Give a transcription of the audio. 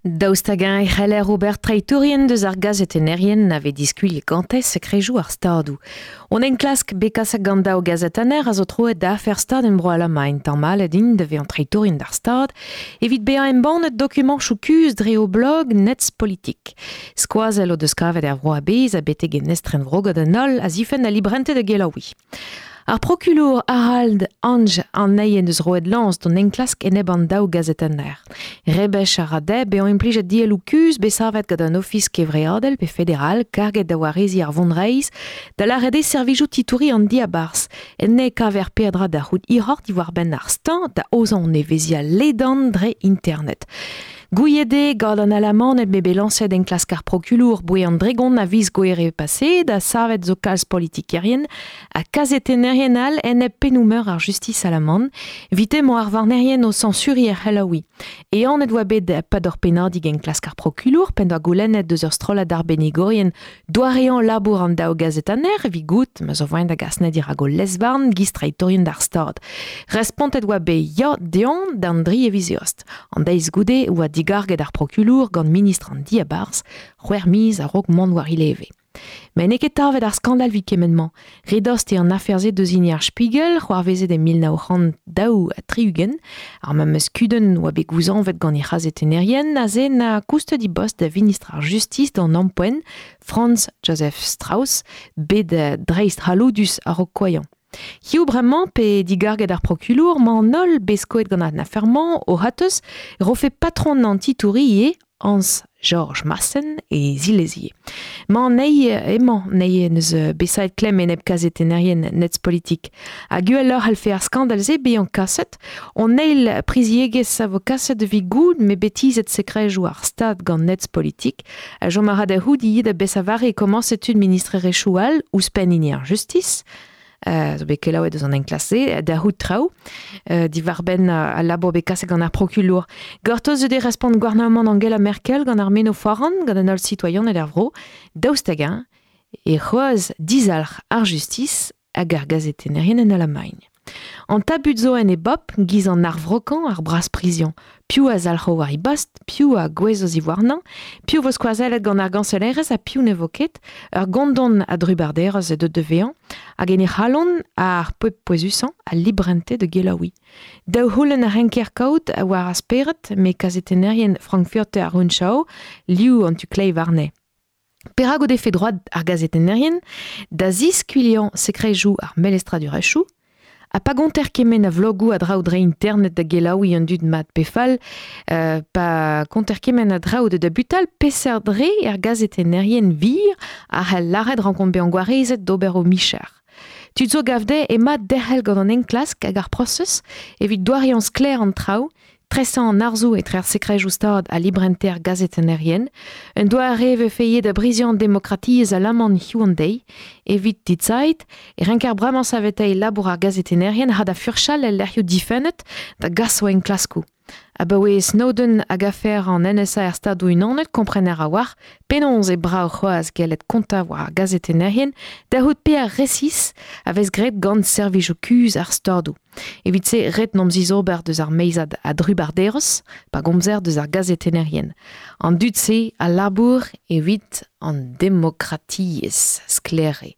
Daoust hag-eñ e c'heller ober treitourien deus ar gazetennerien a vez diskuliet gante sekrejoù ar stadoù. On enklask bet kaset gant daou gazetenner a zo troet da afer stad en Bro-Alamagn. Tamallet int da vezañ treitourien d'ar stad evit bezañ embannet dokumantoù kuzh dre o blog Netzpolitik. Skoazell o deus kavet er vro a-bezh ha betek en estrenvro gant an holl a zifenn al librente da gelaouiñ. Ar prokulour Harald Ange anezhi en deus roet lañs d'an enklask enep an daou gazetenner. Rebech a ra dezhe bezañ implijet dielloù kuzh bet savet gant an Ofis kevreadel pe federal karget da wareziñ ar vonreizh, da lâret eo servijoù titouriñ an diabarzh. Enne e kaver peadra da c'hoût hiroc'h diwar-benn ar steuñv da aozañ an evezhiañ ledan dre internet. Gouiet eo gant an Alamaned m'eo bet lañset enklask ar prokulour boe an dregont a viz Gouhere paseet ha savet zo kalz politikerien ha kazetennerien all enep pennoù-meur ar justis alaman. Evite emañ ar varnerien o sañsuriñ er c'helaouiñ. Ehanet oa bet pad ur pennadig enklask ar prokulour p'en doa goulennet deus ur strollad arbennigourien doareañ labour an daou gazetenner evit goût ma zo voaien da gas dirak o lez-varn giz treitourien d'ar Stad. Respontet oa bet ya dezhañ d'an dri e viz Eost. An deiz goude oa digarget ar prokulour gant ministr an diabarzh c'hwec'h miz a-raok mont war e leve. Met n'eo ket tavet ar skandal evit kement-mañ. Re dost eo an afer-se deus hini ar Spiegel, c'hoarvezet e 1962. Ar memes kudenn oa bet gouzañvet gant he c'hazetennerien aze na koustet he bost da vinistr ar Justis d'an ampoent, Franz Josef Strauss, bet dreist-c'halloudus a-raok koailhañ. Hiziv bremañ pe digarget ar prokulour 'mañ an holl bet skoet gant an afer-mañ o c'hateuz e rofe patron an titouriñ ivez Hans Georg Maassen e zilezie. Mañ anezhi emañ anezhi en deus bet savet klemm enep kazetennerien Netzpolitik. Hag uheloc'h c'hallfe ar skandal-se bezañ kaset. Hon eil priziegezh a vo kaset evit goût m'eo bet tizhet sekrejoù ar Stad gant Netzpolitik. Ha chom a ra da c'hoût ivez da besañ e komañse tud ministrerezhioù all ouzhpenn hini ar justis. Zo bet kelaouet eus an enklask-se da c'hoût traoù diwar-benn al labour bet kaset gant ar prokulour. Gortoz eo respont gouarnamant Angela Merkel gant ar meno foran gant an holl sitoaianed er vro, daoust hag-eñ e c'hoazh dizalc'h ar justis hag ar gazetennerien en Alamagn. An tabut zo en e bop, giz an arvrokañ, ar braspriziañ. Piv a zalc'ho war e bost, piv a gouezho ziwarnañ, piv vo skoazellet gant ar gañsellerezh ha piv ne vo ket. Ur gondon a drubarderezh eo deuet da vezañ, hag en he c'halon ar pep pouezusañ, al librente da gelaouiñ. Daou c'houlenn a renker kaout war ar spered, met kazetennerien Frankfurter Rundschau, liv an tu kleiz warne. Perak o defe droad ar gazetennerien da ziskuilhañ sekrejoù ar melestradurezhioù? Ha pa gonter kement a vlogoù a draoù dre internet da gelaouiñ an dud mat pe fall, pa konter kement a draoù da dabutal, peseurt re er gazetennerien wir a c'hell lâret rankont bezañ gwarezet d'ober o micher? Tud zo gav dezhe emañ derc'hel gant an enklask hag ar prosez evit doareañ sklaer an traoù, Tresañ an arzoù etre ar sekrejoù-stad ha librenter gazetennerien, un doare e vefe ivez da briziañ an demokratiezh alaman hiziv an deiz. Evit Die Zeit e renker bremañ saveteiñ labour ar gazetennerien ha da furchal el lec'hioù difennet da gas o enklaskoù. Abaoe Snowden hag afer an NSA er Stadoù-Unanet komprener a-walc'h penaos eo brav c'hoazh gellet kontañ war ar gazetennerien da c'hoût pear resis a vez graet gant servijoù kuzh ar Stadoù. Evit-se ret n'omp zizober deus ar meizad a drubarderezh pa gomzer deus ar gazetennerien. An dud-se a labour evit an demokratiezh, sklaer eo.